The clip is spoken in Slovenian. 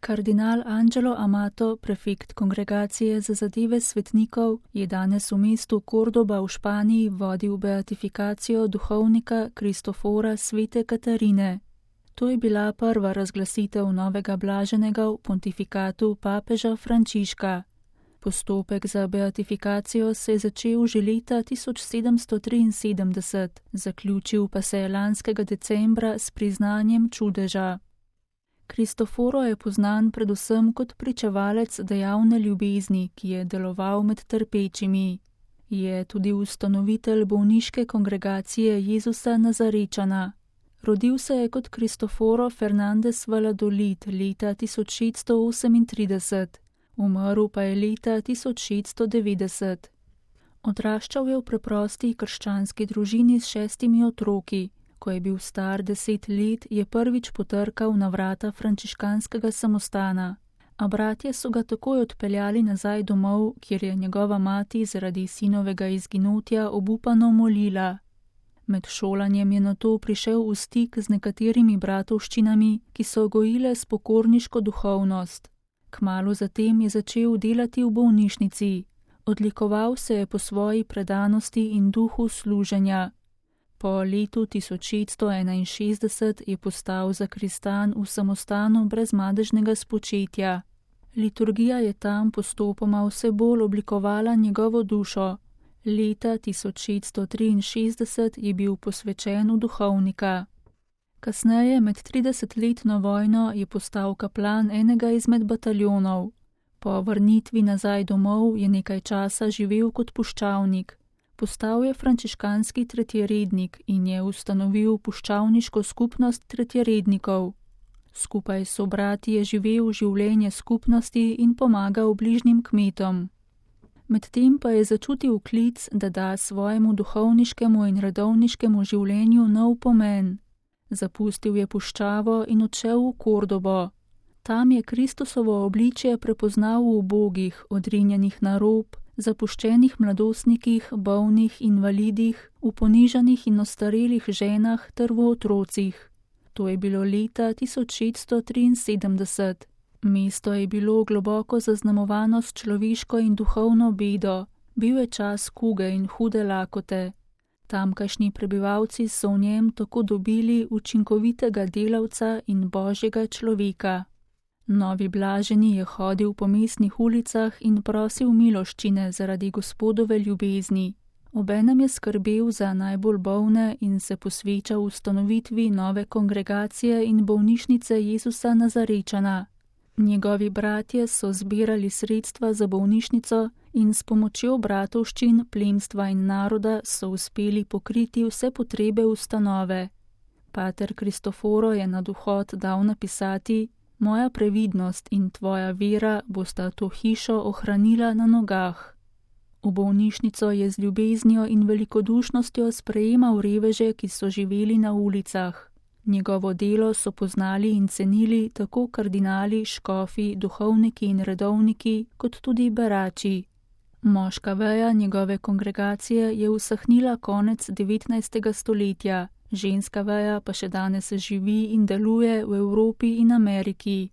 Kardinal Angelo Amato, prefekt Kongregacije za zadeve svetnikov, je danes v mestu Kordoba v Španiji vodil beatifikacijo duhovnika Kristofora Svete Katarine. To je bila prva razglasitev novega blaženega v pontifikatu papeža Frančiška. Postopek za beatifikacijo se je začel že leta 1773, zaključil pa se je lanskega decembra s priznanjem čudeža. Kristoforo je poznan predvsem kot pričevalec dejavne ljubezni, ki je deloval med trpečimi. Je tudi ustanovitelj bolniške kongregacije Jezusa Nazarečana. Rodil se je kot Kristoforo Fernandez Valladolid leta 1638, umrl pa je leta 1690. Odraščal je v preprosti krščanski družini s 6 otroki. Ko je bil star 10 let, je prvič potrkal na vrata frančiškanskega samostana, a bratje so ga takoj odpeljali nazaj domov, kjer je njegova mati zaradi sinovega izginotja obupano molila. Med šolanjem je nato prišel v stik z nekaterimi bratovščinami, ki so gojile spokorniško duhovnost. Kmalu zatem je začel delati v bolnišnici. Odlikoval se je po svoji predanosti in duhu služenja. Po letu 1661 je postal zakristan v samostanu brez madežnega spočetja. Liturgija je tam postopoma vse bolj oblikovala njegovo dušo. Leta 1663 je bil posvečen v duhovnika. Kasneje, med 30-letno vojno, je postal kaplan enega izmed bataljonov. Po vrnitvi nazaj domov je nekaj časa živel kot puščavnik. Postal je frančiškanski tretjerednik in je ustanovil puščavniško skupnost tretjerednikov. Skupaj s sobrati je živel življenje skupnosti in pomagal bližnjim kmetom. Medtem pa je začutil klic, da da svojemu duhovniškemu in redovniškemu življenju nov pomen. Zapustil je puščavo in odšel v Kordobo. Tam je Kristusovo obličje prepoznal v ubogih, odrinjenih na rob, zapuščenih mladostnikih, bolnih invalidih, v ponižanih in ostarelih ženah ter v otrocih. To je bilo leta 1673. Mesto je bilo globoko zaznamovano s človeško in duhovno bedo. Bil je čas kuge in hude lakote. Tamkajšnji prebivalci so v njem tako dobili učinkovitega delavca in božjega človeka. Novi blaženi je hodil po mestnih ulicah in prosil miloščine zaradi Gospodove ljubezni. Obenem je skrbel za najbolj bolne in se posvečal ustanovitvi nove kongregacije in bolnišnice Jezusa Nazarečana. Njegovi bratje so zbirali sredstva za bolnišnico in s pomočjo bratovščin, plemstva in naroda so uspeli pokriti vse potrebe ustanove. Pater Kristoforo je na duhot dal napisati: Moja previdnost in tvoja vera bosta to hišo ohranila na nogah. V bolnišnico je z ljubeznijo in velikodušnostjo sprejemal reveže, ki so živeli na ulicah. Njegovo delo so poznali in cenili tako kardinali, škofi, duhovniki in redovniki, kot tudi berači. Moška veja njegove kongregacije je usahnila konec 19. stoletja. Ženska veja pa še danes živi in deluje v Evropi in Ameriki.